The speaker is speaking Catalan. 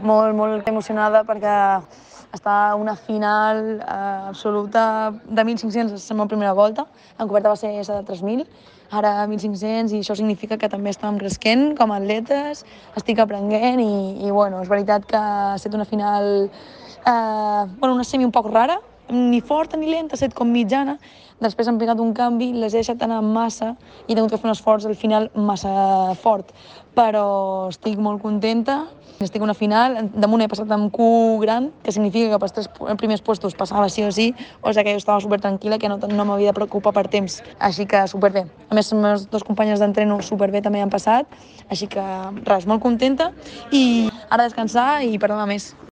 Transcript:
molt emocionada perquè està una final absoluta de 1.500, és la meva primera volta, en coberta va ser de 3.000, ara 1.500 i això significa que també estàvem cresquent com a atletes, estic aprenent i bueno, és veritat que ha estat una final, una semi un poc rara, ni forta ni lenta, ha estat com mitjana, després han pegat un canvi, les he deixat anar massa i he tingut que fer un esforç al final massa fort, però estic molt contenta. Estic a una final, damunt he passat amb Q gran, que significa que pels 3 primers puestos passava sí o sí, o sigui que jo estava super tranquil·la, que no m'havia de preocupar per temps, així que superbé. A més, les meves 2 companyes d'entreno superbé també han passat, així que res, molt contenta i ara descansar i per demà més.